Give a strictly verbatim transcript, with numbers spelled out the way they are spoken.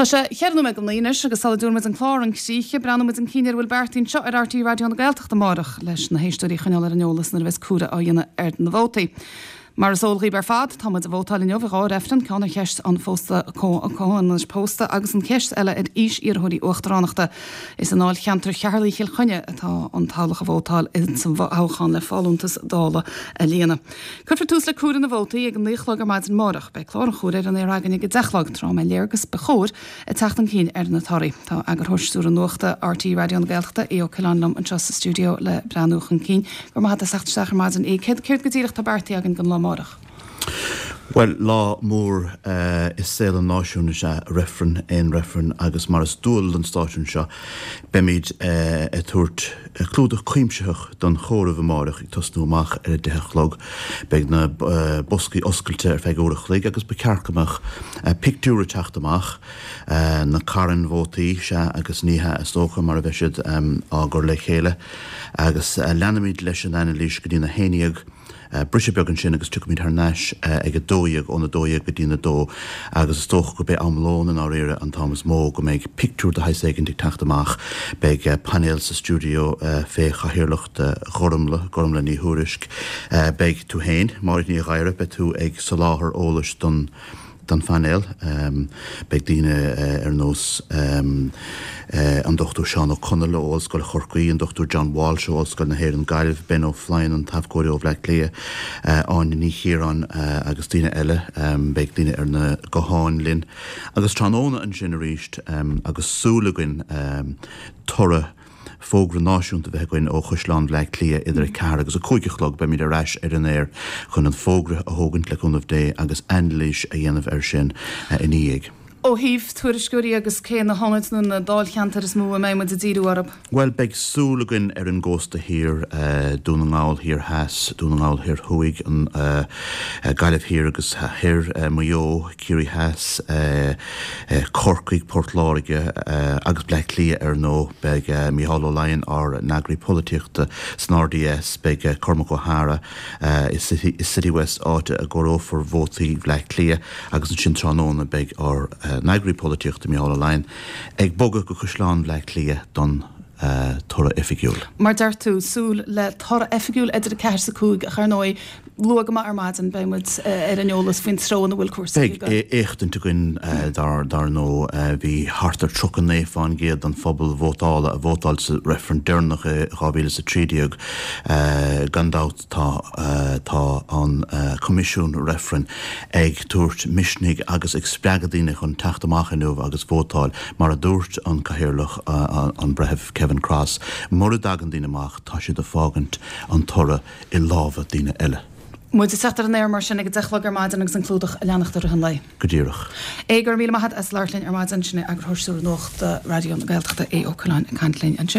Tá sé cheithre nóiméad go naoi anois agus sula dtabharfaidh muid an clár chun críche, breathnóidh muid chun cinn ar a bhfuil beartaithe anseo ar R T É Raidió na Gaeltachta amárach leis na héisteoirí a choinneáil ar an eolas nuair a bheas comhaireamh á dhéanamh ar na vótaí. Mar is eol dhaoibh ar fad, tá muid ag vótáil inniu i dhá reifreann, ceann ar cheist an phósta comhionannais pósta agus an cheist eile ar aois iarrthóirí uachtaránachta. Is i ndáilcheantar Cheatharlach Chill Chainnigh atá an toghlach ag vótáil sa thoghchán le folúntas Dála a líonadh. Cuirfear tús le comhaireamh na vótaí ag a naoi a chlog ar maidin amárach. Beidh clár an chomhairimh ar an aer againn ag a deich a chlog tráth a mbeidh léargas ba chóir ag teacht chun cinn ar na torthaí. Tá eagarthóir stiúrtha nuachta R T É Raidió na Gaeltachta, Aodh Ó Coileáin liom anseo sa stiúideo le breathnú chun cinn. Go raibh maith agat as teacht isteach ar maidin. Céard céard go díreach tá beartaithe againn don lá amárach? Well lá mór uh, i saol an náisiúin is ea reifreann aon reifreann agus mar is dual don stáisiún seo beimid uh, ag tabhairt clúdach cuimsitheach don chomhaireamh amárach ag tosnú amach ar a deich a chlog. Beidh na uh, boscaí oscailte ar feadh uair a chloig agus ba cheart go mbeadh uh, pictiúr ag teacht amach uh, na carn vótaí sea agus ní hea is dócha mar a bheidh siad um, á gcur le chéile agus uh, leanfaimid leis an anailís go dtí na haon déag. Uh, briseadh beag ansin agus tiocfaimid thar n-ais uh, ag a dó dhéag óna dó dhéag go dtí a dó agus is dócha go mbeidh am lóin in áirithe an t-am is mó go mbeidh pictiúr de shaghas éigin ag teacht amach beidh uh, painéal sa stiúideo uh, fé chathaoirleacht uh, Ghormla Gormla Ní Thuairisg uh, beidh tú féin Máirín Ní Ghadhra beidh tú ag soláthar eolais don don phainéal um, beidh daoine uh, ar nós um, uh, an Dr Seán Ó Conaill ó Ollscoil Chorcaí, an Dr John Walsh ó Ollscoil na hÉireann Gaillimh, Ben O'Flynn an t-abhcóide ó Bhleá Cliath, uh, Áine Ní Chiaráin uh, agus daoine eile um, beidh daoine ar na gutháin linn. Agus tráthnóna ansin arís um, agus súil againn um, toradh fógra náisiúnta bheith againn ó Chaisleán Bhaile Átha Cliath idir a ceathair agus a cúig a chlog beimid ar ais ar an aer chun an fógra a thógaint le cúnamh Dé agus anailís a dhéanamh air sin uh, ina dhiaidh. Ó thaobh tuairisceoirí agus cé na hionaid nó na dáilcheantair is mó a mbeidh muid ag díriú orthu. Well beidh súil againn ar an gcósta thiar uh, Dún na nGall thiar theas, Dún na nGall thiar thuaidh an uh, uh, Gaillimh thiar agus thiar uh, Maigh Eo, Ciarraí Theas, uh, uh, Corcaigh, Port Láirge uh, agus Bleá Cliath ar ndóigh beidh uh, Micheál Ó Laighin ár n-eagraí polaitíochta san R D S beidh uh, Cormac O'Hara uh, i City, i City West áit a gcomhaireofar vótaí Bhleá Cliath agus ansin tráthnóna beidh ár uh, n-eagraí polaitíochta Micheál Ó Laighin ag bogadh go Caisleán Bhaile Átha Cliath don uh, toradh oifigiúil. Mar deir tú súil le toradh oifigiúil idir a ceathair is a cúig ach ar ndóigh luath go maith ar maidin beidh muid ar an eolas faoin treo ina bhfuil cúrsaí. Beidh éachtaint againn dar dar ndóigh bhí thart ar tríocha naoi faoin gcéad den phobal vótála a vótáil sa reifreann deireanach dhá mhíle is a trí déag gan dabht tá tá an Coimisiún Reifrinn ag tabhairt misnigh agus ag spreagadh daoine chun teacht amach inniu agus vótáil mar a dúirt an cathaoirleach an breitheamh Kevin Cross mura dtagann daoine amach tá siad ag fágaint an toradh i lámha daoine eile. Muid ag teacht ar an aer mar sin ag a deich a chlog ar maidin agus an clúdach a leanacht ar an lae. Go díreach. É gur míle maith as labhairt linn ar maidin sin eagarthóir stiúrtha nuachta Raidió na Gaeltachta Aodh Ó Coileáin ag caint linn ansin.